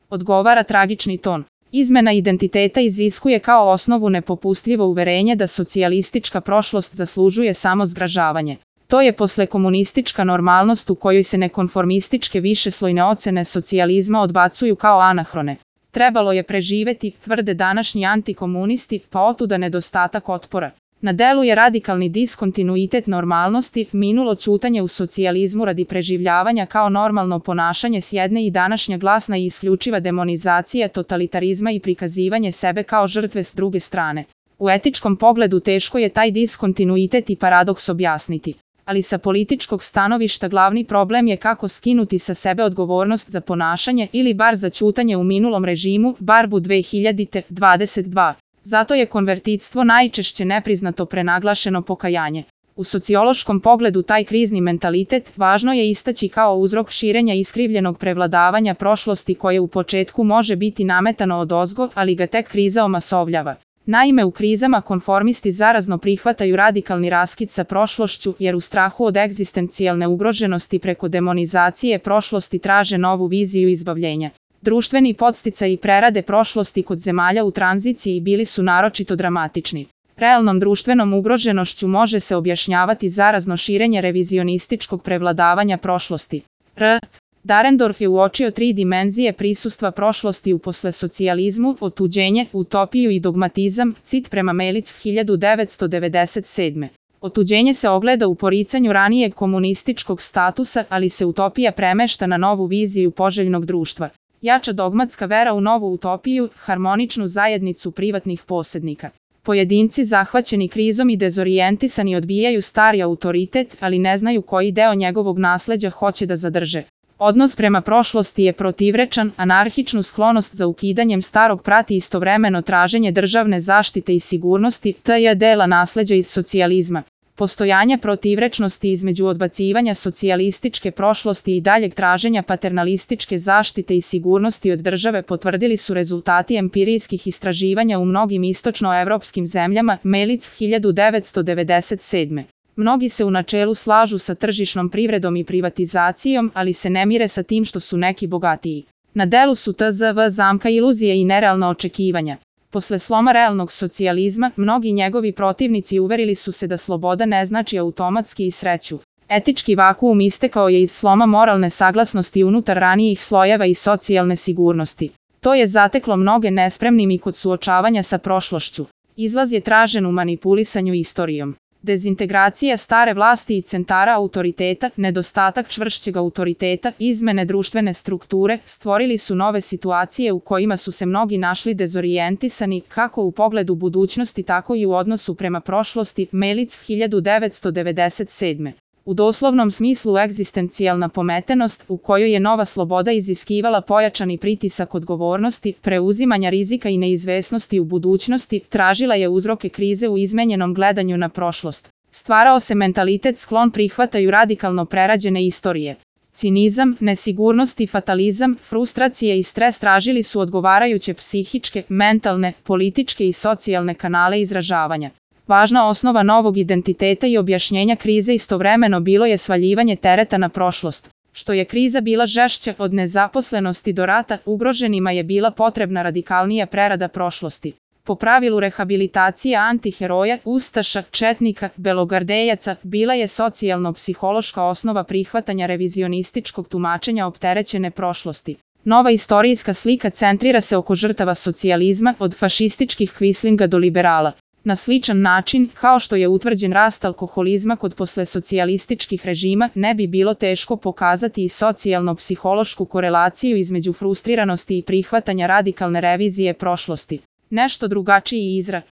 odgovara tragični ton. Izmena identiteta iziskuje kao osnovu nepopustljivo uverenje da socijalistička prošlost zaslužuje samo zgražavanje. To je poslekomunistička normalnost u kojoj se nekonformističke višeslojne ocene socijalizma odbacuju kao anahrone. Trebalo je preživeti, tvrde današnji antikomunisti, pa otuda nedostatak otpora. Na delu je radikalni diskontinuitet normalnosti, minulo ćutanje u socijalizmu radi preživljavanja kao normalno ponašanje s jedne i današnja glasna i isključiva demonizacija totalitarizma i prikazivanje sebe kao žrtve s druge strane. U etičkom pogledu teško je taj diskontinuitet i paradoks objasniti. Ali sa političkog stanovišta glavni problem je kako skinuti sa sebe odgovornost za ponašanje ili bar za ćutanje u minulom režimu, Barbu 2022. Zato je konvertitstvo najčešće nepriznato prenaglašeno pokajanje. U sociološkom pogledu taj krizni mentalitet važno je istaći kao uzrok širenja iskrivljenog prevladavanja prošlosti koje u početku može biti nametano odozgo, ali ga tek kriza omasovljava. Naime, u krizama konformisti zarazno prihvataju radikalni raskid sa prošlošću jer u strahu od egzistencijalne ugroženosti preko demonizacije prošlosti traže novu viziju izbavljenja. Društveni podsticaji prerade prošlosti kod zemalja u tranziciji bili su naročito dramatični. Realnom društvenom ugroženošću može se objašnjavati zarazno širenje revizionističkog prevladavanja prošlosti. Dahrendorf je uočio 3 dimenzije prisustva prošlosti u poslesocijalizmu: otuđenje, utopiju i dogmatizam, cit prema Melic 1997. Otuđenje se ogleda u poricanju ranijeg komunističkog statusa, ali se utopija premešta na novu viziju poželjnog društva. Jača dogmatska vera u novu utopiju, harmoničnu zajednicu privatnih posjednika. Pojedinci zahvaćeni krizom i dezorijentisani odbijaju stari autoritet, ali ne znaju koji deo njegovog nasleđa hoće da zadrže. Odnos prema prošlosti je protivrečan, anarhičnu sklonost za ukidanjem starog prati istovremeno traženje državne zaštite i sigurnosti, t.j. dela nasleđa iz socijalizma. Postojanje protivrečnosti između odbacivanja socijalističke prošlosti i daljeg traženja paternalističke zaštite i sigurnosti od države potvrdili su rezultati empirijskih istraživanja u mnogim istočnoevropskim zemljama, Melic 1997. Mnogi se u načelu slažu sa tržišnom privredom i privatizacijom, ali se ne mire sa tim što su neki bogatiji. Na delu su tzv. Zamka iluzije i nerealna očekivanja. Posle sloma realnog socijalizma, mnogi njegovi protivnici uverili su se da sloboda ne znači automatski i sreću. Etički vakuum istekao je iz sloma moralne saglasnosti unutar ranijih slojeva i socijalne sigurnosti. To je zateklo mnoge nespremnim i kod suočavanja sa prošlošću. Izlaz je tražen u manipulisanju istorijom. Dezintegracija stare vlasti i centara autoriteta, nedostatak čvršćeg autoriteta, izmene društvene strukture stvorili su nove situacije u kojima su se mnogi našli dezorijentisani kako u pogledu budućnosti tako i u odnosu prema prošlosti, Melic 1997. U doslovnom smislu egzistencijalna pometenost u kojoj je nova sloboda iziskivala pojačani pritisak odgovornosti, preuzimanja rizika i neizvesnosti u budućnosti, tražila je uzroke krize u izmenjenom gledanju na prošlost. Stvarao se mentalitet sklon prihvataju radikalno prerađene istorije. Cinizam, nesigurnost i fatalizam, frustracije i stres tražili su odgovarajuće psihičke, mentalne, političke i socijalne kanale izražavanja. Važna osnova novog identiteta i objašnjenja krize istovremeno bilo je svaljivanje tereta na prošlost. Što je kriza bila žešća od nezaposlenosti do rata, ugroženima je bila potrebna radikalnija prerada prošlosti. Po pravilu rehabilitacija antiheroja, ustaša, četnika, belogardejaca bila je socijalno-psihološka osnova prihvatanja revizionističkog tumačenja opterećene prošlosti. Nova istorijska slika centrira se oko žrtava socijalizma, od fašističkih kvislinga do liberala. Na sličan način, kao što je utvrđen rast alkoholizma kod poslesocijalističkih režima, ne bi bilo teško pokazati i socijalno-psihološku korelaciju između frustriranosti i prihvatanja radikalne revizije prošlosti. Nešto drugačiji izraz.